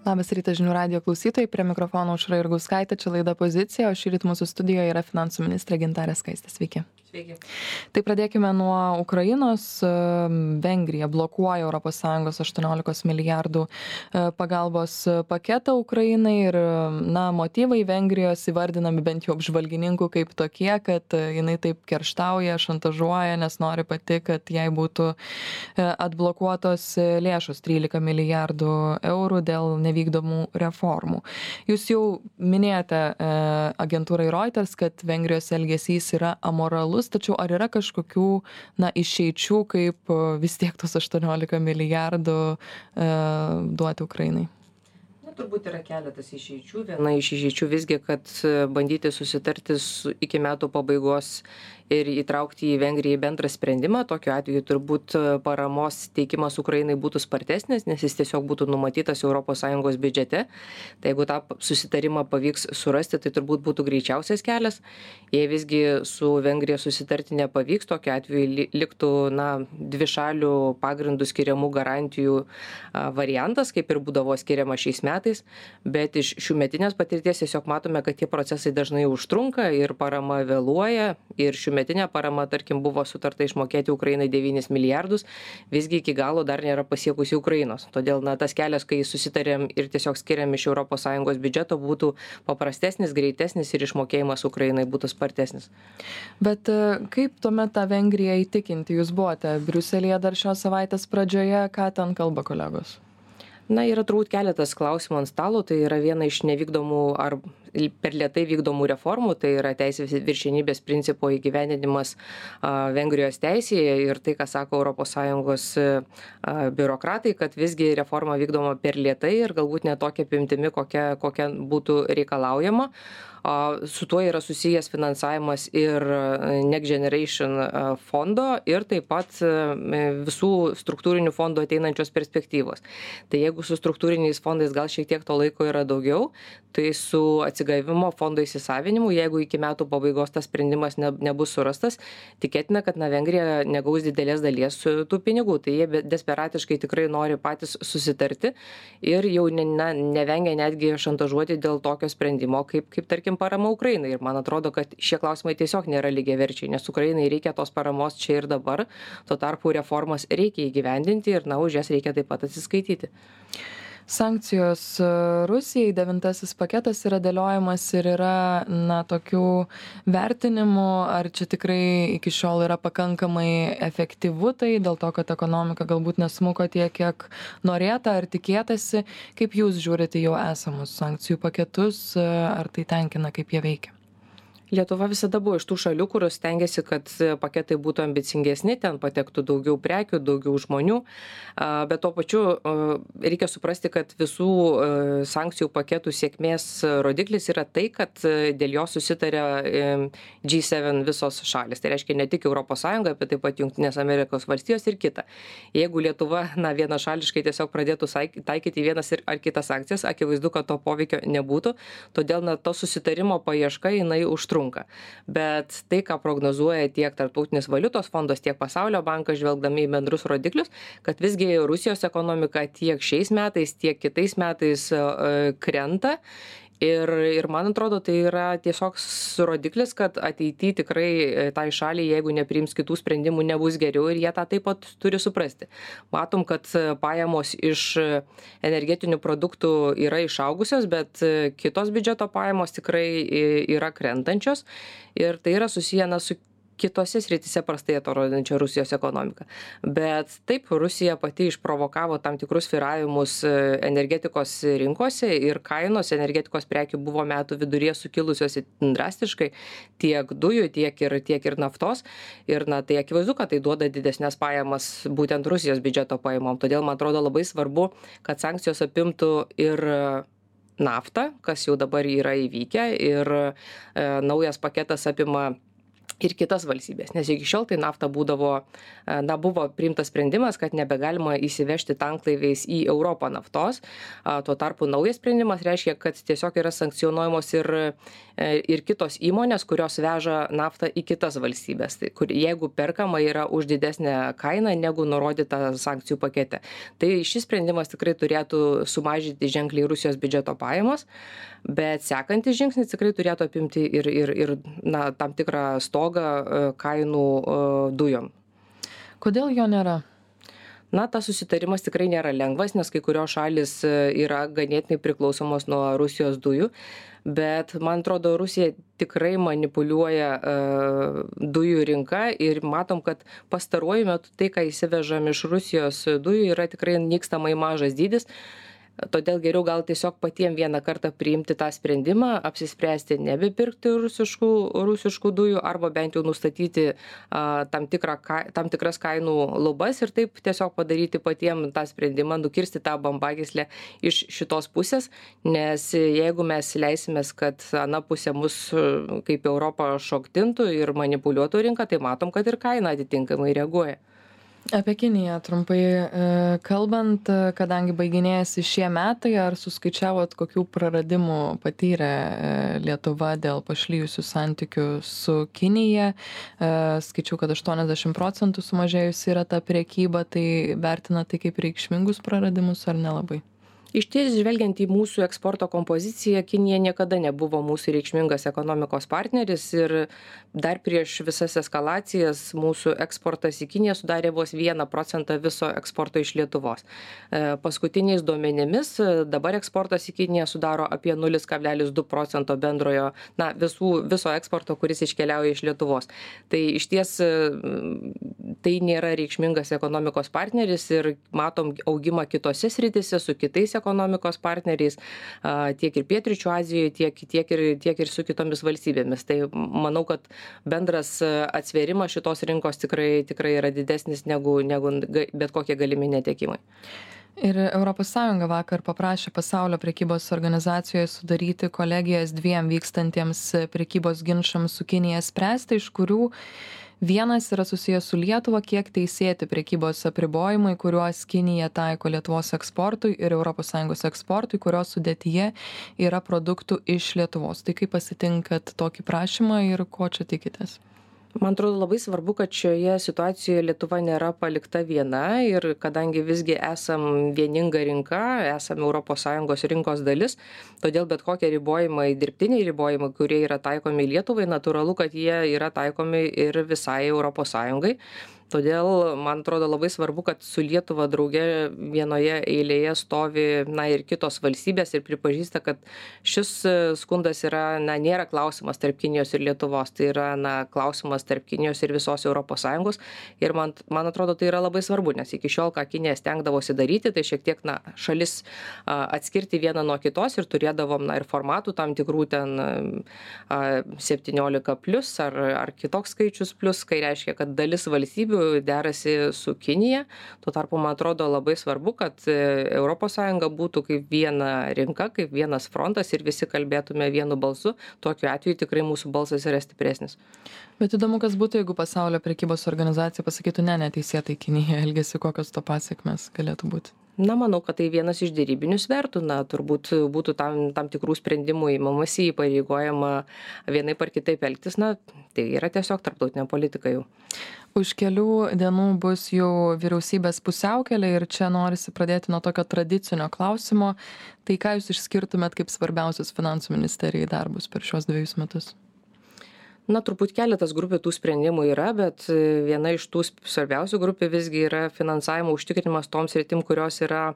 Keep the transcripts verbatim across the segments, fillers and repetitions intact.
Labas rytas žinių radijo klausytojai, prie mikrofono Aušra Jurgauskaitė, čia laida Pozicija, o šįryt mūsų studijoje yra finansų ministrė Gintarė Skaistė. Sveiki. Sveiki. Tai pradėkime nuo Ukrainos. Vengrija blokuoja Europos Sąjungos aštuoniolikos milijardų pagalbos paketą Ukrainai ir na, motyvai Vengrijos įvardinami bent jau apžvalgininkų kaip tokie, kad jinai taip kerštauja, šantažuoja, nes nori pati, kad jai būtų atblokuotos lėšos trylika milijardų eurų dėl nevykdomų reformų. Jūs jau minėjote agentūrai Reuters, kad Vengrijos elgesys yra amoralus. Tačiau ar yra kažkokių na, išeičių, kaip vis tiek tos aštuoniolika milijardų e, duoti Ukrainai? Na, turbūt yra keletas išeičių. Viena iš išeičių visgi, kad bandyti susitarti su, iki metų pabaigos ir įtraukti į Vengriją į bendrą sprendimą. Tokiu atveju turbūt paramos teikimas Ukrainai būtų spartesnis, nes jis tiesiog būtų numatytas Europos Sąjungos biudžete. Tai jeigu tą susitarimą pavyks surasti, tai turbūt būtų greičiausias kelias. Jei visgi su Vengrija susitarti nepavyks, tokiu atveju liktų na, dvišalių pagrindų skiriamų garantijų variantas, kaip ir būdavo skiriama šiais metais. Bet iš šių metinės patirties tiesiog matome, kad tie procesai dažnai užtrunka ir parama vėluoja. Ir šių metinė parama, tarkim, buvo sutarta išmokėti Ukrainai devynis milijardus, visgi iki galo dar nėra pasiekusi Ukrainos. Todėl na, tas kelias, kai susitarėm ir tiesiog skiriam iš Europos Sąjungos biudžeto, būtų paprastesnis, greitesnis ir išmokėjimas Ukrainai būtų spartesnis. Bet kaip tuomet tą Vengriją įtikinti? Jūs buvote Briuselėje dar šios savaitės pradžioje, ką ten kalba kolegos? Na, yra turbūt keletas klausimų ant stalo, tai yra viena iš nevykdomų ar per lėtai vykdomų reformų, tai yra teisės viršenybės principo įgyvendinimas a, Vengrijos teisėje ir tai, ką sako Europos Sąjungos a, biurokratai, kad visgi reforma vykdoma per lėtai ir galbūt ne tokia apimtimi, kokia, kokia būtų reikalaujama. A, su tuo yra susijęs finansavimas ir Next Generation fondo ir taip pat visų struktūrinių fondų ateinančios perspektyvos. Tai jeigu su struktūriniais fondais gal šiek tiek to laiko yra daugiau, tai su atsigavimo fondo įsisavinimu, jeigu iki metų pabaigos tas sprendimas ne, nebus surastas, tikėtina, kad na, Vengrija negaus didelės dalies tų pinigų. Tai jie desperatiškai tikrai nori patys susitarti ir jau ne, na, nevengia netgi šantažuoti dėl tokio sprendimo, kaip, kaip tarkim parama Ukrainai. Ir man atrodo, kad šie klausimai tiesiog nėra lygiaverčiai, nes Ukrainai reikia tos paramos čia ir dabar, tuo tarpu reformas reikia įgyvendinti ir na, už jas reikia taip pat atsiskaityti. Sankcijos Rusijai, devintasis paketas yra dėliojamas ir yra na, tokių vertinimų, ar čia tikrai iki šiol yra pakankamai efektyvu tai, dėl to, kad ekonomika galbūt nesmuko tiek, kiek norėta ar tikėtasi. Kaip jūs žiūrite jau esamus sankcijų paketus, ar tai tenkina, kaip jie veikia? Lietuva visada buvo iš tų šalių, kurios stengiasi, kad paketai būtų ambicingesni, ten patektų daugiau prekių, daugiau žmonių, bet tuo pačiu reikia suprasti, kad visų sankcijų paketų sėkmės rodiklis yra tai, kad dėl jo susitarė G sedem visos šalis. Tai reiškia ne tik Europos Sąjunga, bet taip pat Jungtinės Amerikos valstijos ir kita. Jeigu Lietuva na, vienašališkai tiesiog pradėtų taikyti vienas ar kitas sankcijas, akivaizdu, kad to poveikio nebūtų, todėl na, to susitarimo paieška jinai užtrunka. Bet tai, ką prognozuoja tiek Tarptautinis valiutos fondas, tiek Pasaulio bankas, žvelgdami į bendrus rodiklius, kad visgi Rusijos ekonomika tiek šiais metais, tiek kitais metais krenta. Ir, ir man atrodo, tai yra tiesiog rodiklis, kad ateityje tikrai tai šaliai, jeigu nepriims kitų sprendimų, nebus geriau ir jie tą taip pat turi suprasti. Matom, kad pajamos iš energetinių produktų yra išaugusios, bet kitos biudžeto pajamos tikrai yra krentančios ir tai yra susiję na, su kitose srityse prastai atrodančia Rusijos ekonomika. Bet taip, Rusija pati išprovokavo tam tikrus svyravimus energetikos rinkose ir kainos energetikos prekių buvo metų viduryje sukilusios drastiškai tiek dujų, tiek ir, tiek ir naftos. Ir na, tai akivaizdu, kad tai duoda didesnės pajamas būtent Rusijos biudžeto pajamom. Todėl man atrodo labai svarbu, kad sankcijos apimtų ir naftą, kas jau dabar yra įvykę ir e, naujas paketas apima ir kitas valstybės, nes iki šiol tai nafta būdavo, na, buvo priimtas sprendimas, kad nebegalima įsivežti tanklaiviais į Europą naftos. Tuo tarpu naujas sprendimas reiškia, kad tiesiog yra sankcionuojamos ir, ir kitos įmonės, kurios veža naftą į kitas valstybės, tai, kur, jeigu perkama yra už didesnę kainą negu nurodyta sankcijų pakete. Tai šis sprendimas tikrai turėtų sumažinti ženkliai Rusijos biudžeto pajamas, bet sekantis žingsnis tikrai turėtų apimti ir, ir, ir na, tam tikrą stogą kainų dujom. Kodėl jo nėra? Na, tas susitarimas tikrai nėra lengvas, nes kai kurios šalis yra ganėtinai priklausomos nuo Rusijos dujų, bet man atrodo, Rusija tikrai manipuliuoja uh, dujų rinką ir matom, kad pastaruoju metu tai, ką įsivežam iš Rusijos dujų, yra tikrai nykstamai mažas dydis. Todėl geriau gal tiesiog patiem vieną kartą priimti tą sprendimą, apsispręsti nebepirkti rusiškų, rusiškų dujų arba bent jau nustatyti a, tam, tikrą, tam tikras kainų lubas ir taip tiesiog padaryti patiem tą sprendimą, nukirsti tą bambagyslę iš šitos pusės, nes jeigu mes leisimės, kad ana pusė mus kaip Europą šoktintų ir manipuliuotų rinką, tai matom, kad ir kaina atitinkamai reaguoja. Apie Kiniją trumpai kalbant, kadangi baiginėjasi šie metai, ar suskaičiavot, kokių praradimų patyrė Lietuva dėl pašlijusių santykių su Kinija? Skaičiau, kad aštuoniasdešimt procentų sumažėjusi yra ta prekyba, tai vertina tai kaip reikšmingus praradimus ar nelabai? Išties, žvelgiant į mūsų eksporto kompoziciją, Kinija niekada nebuvo mūsų reikšmingas ekonomikos partneris ir dar prieš visas eskalacijas mūsų eksportas į Kiniją sudarė vos vieną procentą viso eksporto iš Lietuvos. Paskutiniais duomenimis dabar eksportas į Kiniją sudaro apie nulis kablelis du procento bendrojo, na, visų, viso eksporto, kuris iškeliauja iš Lietuvos. Tai išties tai nėra reikšmingas ekonomikos partneris ir matom augimą kitose sritise su kitais ekonomikos partneriais, tiek ir Pietryčių Azijoje, tiek, tiek, ir, tiek ir su kitomis valstybėmis. Tai manau, kad bendras atsvėrimas šitos rinkos tikrai, tikrai yra didesnis negu, negu bet kokie galimi netekimai. Ir Europos Sąjunga vakar paprašė Pasaulio prekybos organizacijoje sudaryti kolegijas dviem vykstantiems prekybos ginčams su Kinija spręsti, iš kurių vienas yra susijęs su Lietuva, kiek teisėti prekybos apribojimai, kuriuos Kinija taiko Lietuvos eksportui ir Europos Sąjungos eksportui, kurios sudėtyje yra produktų iš Lietuvos. Tai kaip pasitinkat tokį prašymą ir ko čia tikitės? Man atrodo labai svarbu, kad šioje situacijoje Lietuva nėra palikta viena ir kadangi visgi esam vieninga rinka, esam Europos Sąjungos rinkos dalis, todėl bet kokie ribojimai, dirbtiniai ribojimai, kurie yra taikomi Lietuvai, natūralu, kad jie yra taikomi ir visai Europos Sąjungai. Todėl, man atrodo, labai svarbu, kad su Lietuva drauge vienoje eilėje stovi, na, ir kitos valstybės ir pripažįsta, kad šis skundas yra, na, nėra klausimas tarp Kinijos ir Lietuvos, tai yra, na, klausimas tarp Kinijos ir visos Europos Sąjungos. Ir man, man atrodo, tai yra labai svarbu, nes iki šiol, ką Kinija stengdavosi daryti, tai šiek tiek, na, šalis a, atskirti vieną nuo kitos ir turėdavom, na, ir formatų tam tikrų ten a, septyniolika plus ar, ar kitoks skaičius plus, kai reiškia, kad dalis valstybių derasi su Kinija. Tuo tarpu, man atrodo, labai svarbu, kad Europos Sąjunga būtų kaip viena rinka, kaip vienas frontas ir visi kalbėtume vienu balsu. Tokiu atveju tikrai mūsų balsas yra stipresnis. Bet įdomu, kas būtų, jeigu Pasaulio prekybos organizacija pasakytų, ne, neteisėtai Kinija elgesi, kokios to pasiekmes galėtų būti? Na, manau, kad tai vienas iš dėrybinių svertų. Na, turbūt būtų tam, tam tikrų sprendimų įmamasi, įpareigojama vienaip ar kitaip elgtis. Na, tai yra tiesiog tarptautinė politika jau. Už kelių dienų bus jau vyriausybės pusiaukelė ir čia norisi pradėti nuo tokio tradicinio klausimo. Tai ką jūs išskirtumėt kaip svarbiausius finansų ministerijai darbus per šios dviejus metus? Na, turbūt keletas grupių tų sprendimų yra, bet viena iš tų svarbiausių grupių visgi yra finansavimo užtikrinimas toms sritim, kurios yra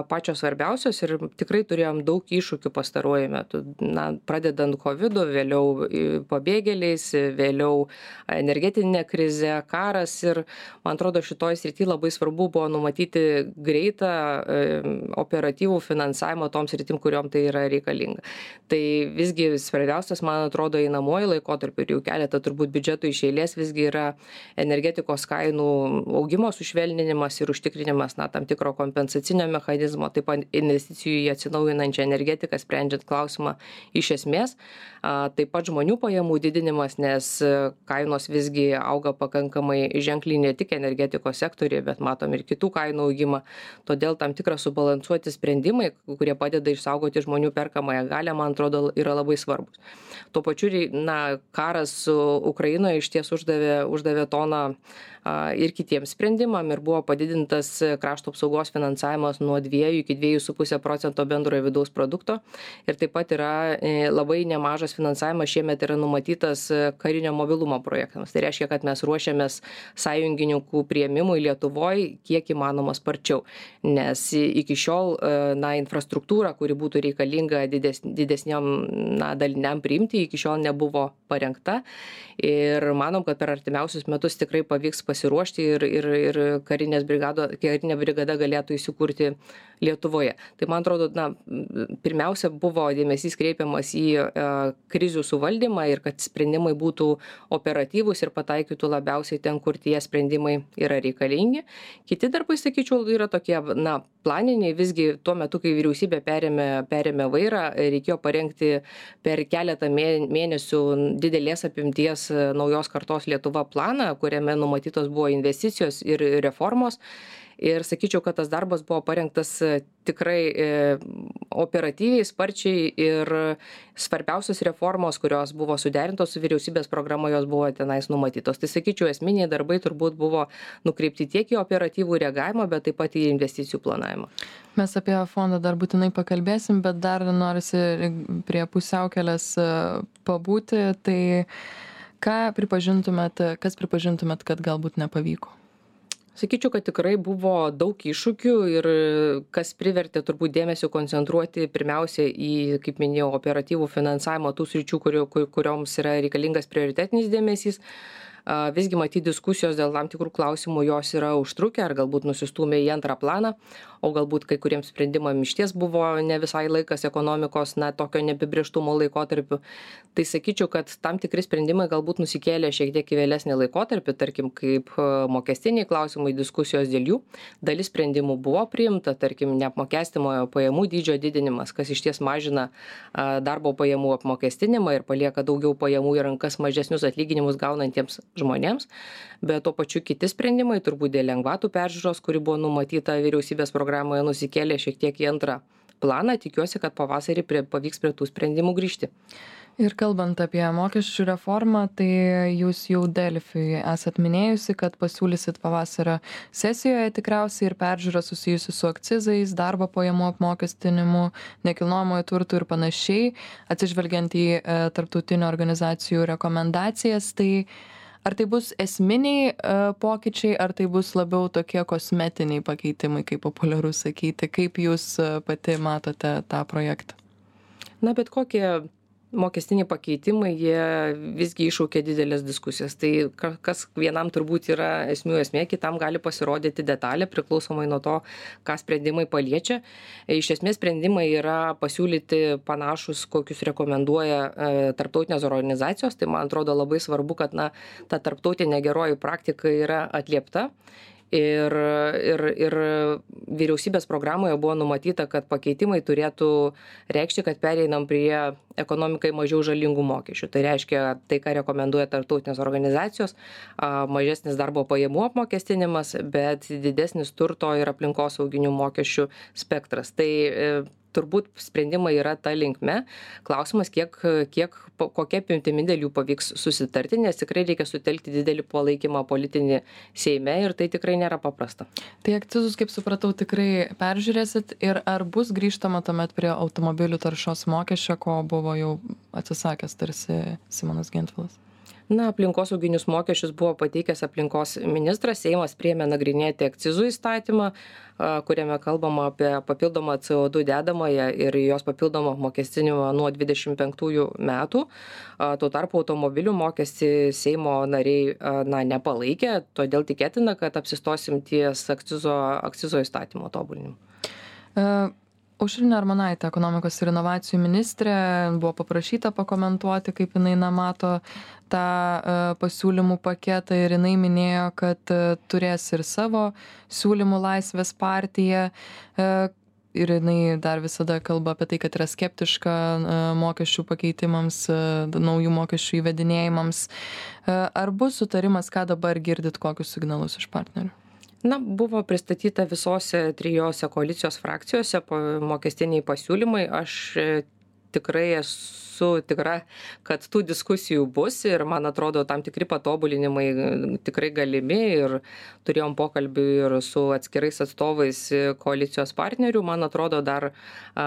pačios svarbiausios ir tikrai turėjom daug iššūkių pastaruoju metu. Na, pradedant kovidu, vėliau pabėgėliais, vėliau energetinė krize, karas ir, man atrodo, šitoj srity labai svarbu buvo numatyti greitą operatyvų finansavimą toms sritim, kuriuom tai yra reikalinga. Tai visgi svarbiausias, man atrodo, einamuoju laikotarpiu ir jau keletą turbūt biudžetų iš eilės visgi yra energetikos kainų augimo sušvelninimas ir užtikrinimas, na, tam tikro kompensacinio mechanizmo mechanizmo, taip pat investicijų į atsinaujinančią energetiką, sprendžiant klausimą iš esmės. Taip pat žmonių pajamų didinimas, nes kainos visgi auga pakankamai ženkliai ne tik energetikos sektoriuje, bet matom ir kitų kainų augimą. Todėl tam tikras subalansuoti sprendimai, kurie padeda išsaugoti žmonių perkamąją galią, man atrodo, yra labai svarbus. Tuo pačiu, na, karas su Ukrainoje iš ties uždavė, uždavė toną ir kitiems sprendimam ir buvo padidintas krašto apsaugos finansavimas nuo dviejų iki dviejų su puse procento bendrojo vidaus produkto. Ir taip pat yra labai nemažas finansavimas šiemet yra numatytas karinio mobilumo projektams. Tai reiškia, kad mes ruošiamės sąjungininkų priėmimui Lietuvoje kiek įmanoma sparčiau. Nes iki šiol, na, infrastruktūra, kuri būtų reikalinga dides, didesniam, na, daliniam priimti, iki šiol nebuvo parengta. Ir manom, kad per artimiausius metus tikrai pavyks pasiruošti ir, ir, ir karinės brigado, karinė brigada galėtų įsikurti Lietuvoje. Tai man atrodo, na, pirmiausia buvo dėmesys kreipiamas į e, krizių suvaldymą ir kad sprendimai būtų operatyvūs ir pataikytų labiausiai ten, kur tie sprendimai yra reikalingi. Kiti darbai, sakyčiau, yra tokie, na, planiniai. Visgi tuo metu, kai vyriausybė perėmė, perėmė vairą, reikėjo parengti per keletą mėnesių didelės apimties naujos kartos Lietuva planą, kuriame numatytos buvo investicijos ir reformos. Ir sakyčiau, kad tas darbas buvo parengtas tikrai e, operatyviai, sparčiai ir svarbiausios reformos, kurios buvo suderintos su vyriausybės programa, jos buvo tenais numatytos. Tai sakyčiau, esminiai darbai turbūt buvo nukreipti tiek į operatyvų reagavimą, bet taip pat į investicijų planavimą. Mes apie fondą dar būtinai pakalbėsim, bet dar norisi prie pusiaukelės pabūti. Tai ką pripažintumėt, kas pripažintumėt, kad galbūt nepavyko? Sakyčiau, kad tikrai buvo daug iššūkių ir kas privertė turbūt dėmesio koncentruoti pirmiausia į, kaip minėjau, operatyvų finansavimo tų sričių, kurio, kurioms yra reikalingas prioritetinis dėmesys. Visgi matyti diskusijos dėl tam tikrų klausimų jos yra užtrukę ar galbūt nusistūmė į antrą planą, o galbūt kai kuriems sprendimams išties buvo ne visai laikas ekonomikos, na, tokio neapibrėžtumo laikotarpiu. Tai sakyčiau, kad tam tikri sprendimai galbūt nusikėlė šiek tiek į vėlesnį laikotarpį, tarkim, kaip mokestiniai klausimai, diskusijos dėl jų. Dalis sprendimų buvo priimta, tarkim, neapmokestinamojo pajamų dydžio didinimas, kas išties mažina darbo pajamų apmokestinimą ir palieka daugiau pajamų į rankas mažesnius atlyginimus gaunantiems žmonėms, bet tuo pačiu kiti sprendimai, turbūt dėl lengvatų peržiūros, kuri buvo numatyta vyriausybės programoje, nusikėlė šiek tiek į antrą planą. Tikiuosi, kad pavasarį prie, pavyks prie tų sprendimų grįžti. Ir kalbant apie mokesčių reformą, tai jūs jau Delfiui esat minėjusi, kad pasiūlysit pavasario sesijoje tikriausiai ir peržiūrą susijusi su akcizais, darbo pajamų apmokestinimu, nekilnojamojo turtų ir panašiai, atsižvelgiant į e, tarptautinių organizacijų rekomendacijas. Tai ar tai bus esminiai uh, pokyčiai, ar tai bus labiau tokie kosmetiniai pakeitimai, kaip populiaru sakyti? Kaip jūs uh, pati matote tą projektą? Na, bet kokie mokestiniai pakeitimai, jie visgi iššaukia didelės diskusijas. Tai kas vienam turbūt yra esmių esmė, kitam gali pasirodyti detalė, priklausomai nuo to, ką sprendimai paliečia. Iš esmės sprendimai yra pasiūlyti panašus, kokius rekomenduoja e, tarptautinės organizacijos. Tai man atrodo labai svarbu, kad, na, ta tarptautinė geroji praktika yra atliepta. Ir, ir, ir vyriausybės programoje buvo numatyta, kad pakeitimai turėtų reikšti, kad pereinam prie ekonomikai mažiau žalingų mokesčių. Tai reiškia, tai, ką rekomenduoja tarptautinės organizacijos, mažesnis darbo pajamų apmokestinimas, bet didesnis turto ir aplinkosauginių mokesčių spektras. Tai turbūt sprendimai yra ta linkme. Klausimas, kiek, kiek kokia apimtimi dėl jų pavyks susitarti, nes tikrai reikia sutelkti didelį palaikymą politinį Seime ir tai tikrai nėra paprasta. Tai akcizus, kaip supratau, tikrai peržiūrėsit ir ar bus grįžtama tuomet prie automobilių taršos mokesčio, ko buvo jau atsisakęs tarsi Simonas Gentvilas? Na, aplinkosauginius mokesčius buvo pateikęs aplinkos ministras, Seimas priėmė nagrinėti akcizų įstatymą, kuriame kalbama apie papildomą C O du dedamąją ir jos papildomą apmokestinimą nuo dvidešimt penktųjų metų. Tuo tarpu automobilių mokestį Seimo nariai, na, nepalaikė, todėl tikėtina, kad apsistosim ties akcizo, akcizo įstatymo tobulinimu. Uh... Aušrinė Armonaitė, ekonomikos ir inovacijų ministrė, buvo paprašyta pakomentuoti, kaip jinai na, mato tą uh, pasiūlymų paketą ir jinai minėjo, kad uh, turės ir savo siūlymų Laisvės partija. Uh, ir jinai dar visada kalba apie tai, kad yra skeptiška mokesčių pakeitimams, naujų mokesčių įvedinėjimams. Ar bus sutarimas, ką dabar girdit, kokius signalus iš partnerių? Na, buvo pristatyta visose trijose koalicijos frakcijose mokestiniai pasiūlymai. Aš tikrai esu tikra, kad tų diskusijų bus ir, man atrodo, tam tikri patobulinimai tikrai galimi ir turėjom pokalbį ir su atskirais atstovais koalicijos partnerių. Man atrodo, dar a,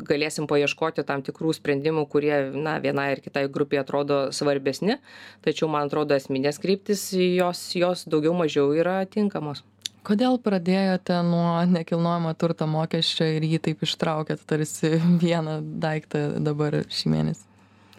galėsim paieškoti tam tikrų sprendimų, kurie, na, vienai ir kitai grupiai atrodo svarbesni, tačiau, man atrodo, esminės kryptis jos, jos daugiau mažiau yra tinkamos. Kodėl pradėjote nuo nekilnojamo turto mokesčio ir jį taip ištraukėt tarsi vieną daiktą dabar šį mėnesį?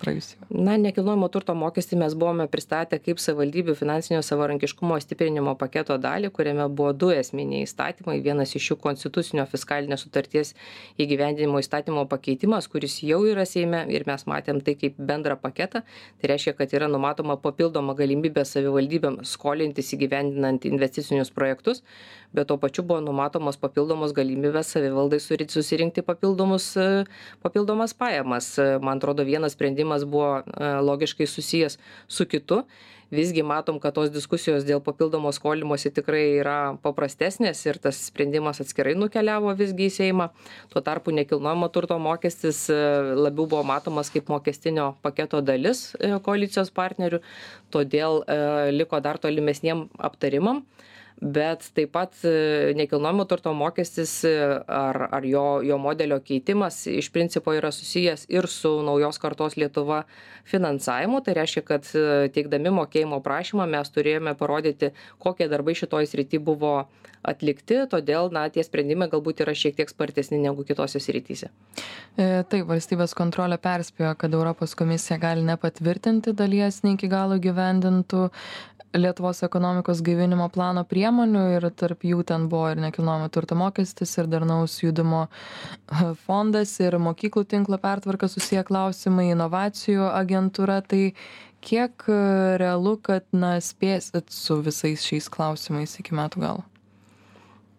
Praėjusį. Na, nekilnojamo turto mokestį mes buvome pristatę kaip savivaldybių finansinio savarankiškumo stiprinimo paketo dalį, kuriame buvo du esminiai įstatymai. Vienas iš jų konstitucinio fiskalinės sutarties įgyvendinimo įstatymo pakeitimas, kuris jau yra Seime ir mes matėm tai kaip bendrą paketą. Tai reiškia, kad yra numatoma papildoma galimybė savivaldybėms skolintis įgyvendinant investicinius projektus, bet tuo pačiu buvo numatomos papildomos galimybės savivaldai susirinkti papildomus, papildomas pajamas. Man atrodo, vienas sprendimas buvo logiškai susijęs su kitu. Visgi matom, kad tos diskusijos dėl papildomo skolimosi tikrai yra paprastesnės ir tas sprendimas atskirai nukeliavo visgi į Seimą. Tuo tarpu nekilnojamo turto mokestis labiau buvo matomas kaip mokestinio paketo dalis koalicijos partnerių, todėl liko dar tolimesniem aptarimam. Bet taip pat nekilnojamo turto mokestis ar, ar jo, jo modelio keitimas iš principo yra susijęs ir su naujos kartos Lietuva finansavimu. Tai reiškia, kad teikdami mokėjimo prašymą mes turėjome parodyti, kokie darbai šitoj srity buvo atlikti, todėl na, tie sprendimai galbūt yra šiek tiek spartesni negu kitose srityse. E, taip, valstybės kontrolė perspėjo, kad Europos komisija gali nepatvirtinti dalies ne iki galo gyvendintų Lietuvos ekonomikos gaivinimo plano priemonių ir tarp jų ten buvo ir nekilnojamo turto mokestis, ir darnaus judumo fondas, ir mokyklų tinklo pertvarka susiję klausimai, inovacijų agentūra. Tai kiek realu, kad na, spėsit su visais šiais klausimais iki metų galo?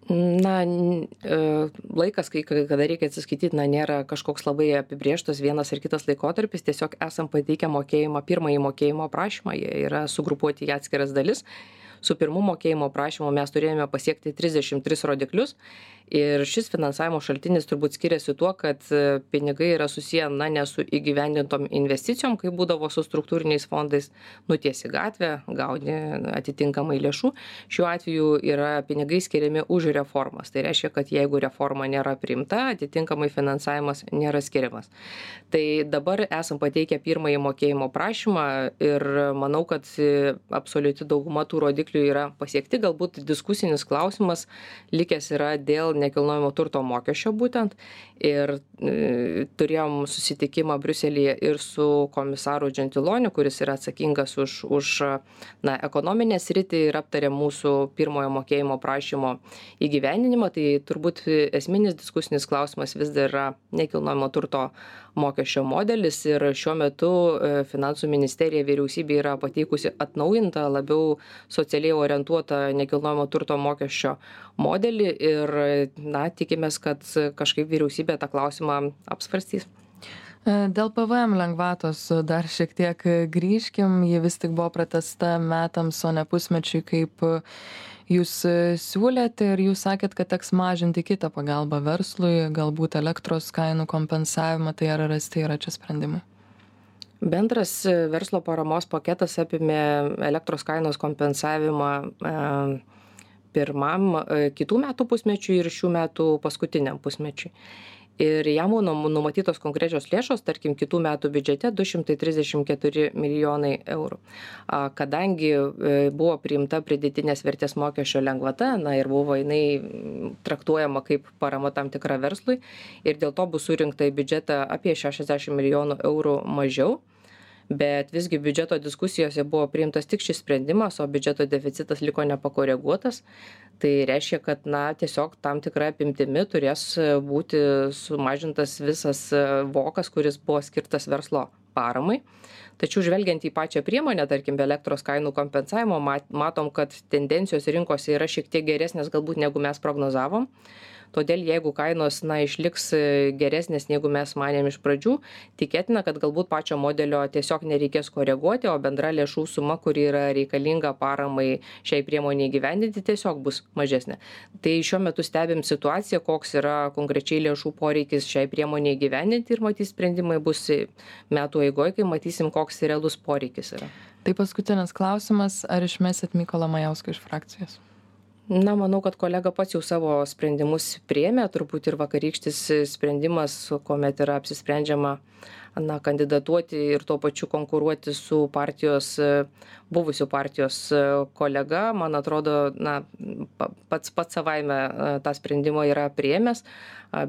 Na, laikas, kai kada reikia atsiskaityti, na, nėra kažkoks labai apibrėžtas vienas ar kitas laikotarpis, tiesiog esam pateikę mokėjimą, pirmąjį mokėjimo prašymą, jie yra sugrupuoti į atskiras dalis. Su pirmu mokėjimo prašymu mes turėjome pasiekti trisdešimt tris rodiklius ir šis finansavimo šaltinis turbūt skiriasi tuo, kad pinigai yra susiję, na, ne su įgyvendintom investicijom, kai būdavo su struktūriniais fondais, nutiesi gatvę, gauni atitinkamai lėšų. Šiuo atveju yra pinigai skiriami už reformas. Tai reiškia, kad jeigu reforma nėra priimta, atitinkamai finansavimas nėra skiriamas. Tai dabar esam pateikę pirmąjį mokėjimo prašymą ir manau, kad absoliuti dauguma tų rodiklių yra pasiekti. Galbūt diskusinis klausimas likęs yra dėl nekilnojamo turto mokesčio būtent. Ir e, turėjom susitikimą Briuselyje ir su komisaru Gentiloniu, kuris yra atsakingas už, už na, ekonominę sritį ir aptarė mūsų pirmojo mokėjimo prašymo įgyvendinimą. Tai turbūt esminis diskusinis klausimas vis dar yra nekilnojamo turto mokesčio modelis ir šiuo metu Finansų ministerija vyriausybė yra pateikusi atnaujintą, labiau socialiai orientuotą nekilnojamo turto mokesčio modelį ir na, tikimės, kad kažkaip vyriausybė tą klausimą apsvarstys. Dėl P V M lengvatos dar šiek tiek grįžkim, ji vis tik buvo pratęsta metams, o ne pusmečiui, kaip jūs siūlėte, ir jūs sakėt, kad teks mažinti kitą pagalbą verslui, galbūt elektros kainų kompensavimą, tai ar rasti yra čia sprendimai? Bendras verslo paramos paketas apimė elektros kainos kompensavimą e, pirmam e, kitų metų pusmečiui ir šių metų paskutiniam pusmečiui. Ir jam numatytos konkrečios lėšos, tarkim, kitų metų biudžete du šimtai trisdešimt keturi milijonai eurų. Kadangi buvo priimta pridėtinės vertės mokesčio lengvata, na ir buvo jinai traktuojama kaip parama tam tikra verslui, ir dėl to bus surinkta į biudžetą apie šešiasdešimt milijonų eurų mažiau. Bet visgi biudžeto diskusijose buvo priimtas tik šis sprendimas, o biudžeto deficitas liko nepakoreguotas. Tai reiškia, kad na, tiesiog tam tikra apimtimi turės būti sumažintas visas vokas, kuris buvo skirtas verslo paramai. Tačiau žvelgiant į pačią priemonę, tarkim, be elektros kainų kompensavimo, matom, kad tendencijos rinkose yra šiek tiek geresnės galbūt negu mes prognozavom. Todėl jeigu kainos na, išliks geresnės, negu mes manėm iš pradžių, tikėtina, kad galbūt pačio modelio tiesiog nereikės koreguoti, o bendra lėšų suma, kuri yra reikalinga paramai šiai priemoniai gyvendinti, tiesiog bus mažesnė. Tai šiuo metu stebim situaciją, koks yra konkrečiai lėšų poreikis šiai priemoniai gyvendinti ir matys sprendimai bus metų eigoje, kai matysim, koks realus poreikis yra. Tai paskutinis klausimas, ar išmesit Mykolą Majauską iš frakcijos? Na, manau, kad kolega pats jau savo sprendimus priėmė, turbūt ir vakarykštis sprendimas, kuomet yra apsisprendžiama na, kandidatuoti ir tuo pačiu konkuruoti su partijos, buvusiu partijos kolega, man atrodo, na, pats pats savaime tą sprendimą yra priėmęs,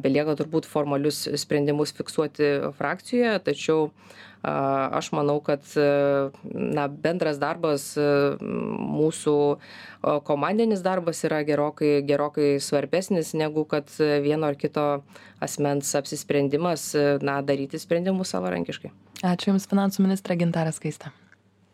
belieka turbūt formalius sprendimus fiksuoti frakcijoje, tačiau aš manau, kad na, bendras darbas, mūsų komandinis darbas yra gerokai, gerokai svarbesnis negu kad vieno ar kito asmens apsisprendimas na, daryti sprendimus savarankiškai. Ačiū Jums, finansų ministrė Gintarė Skaistė.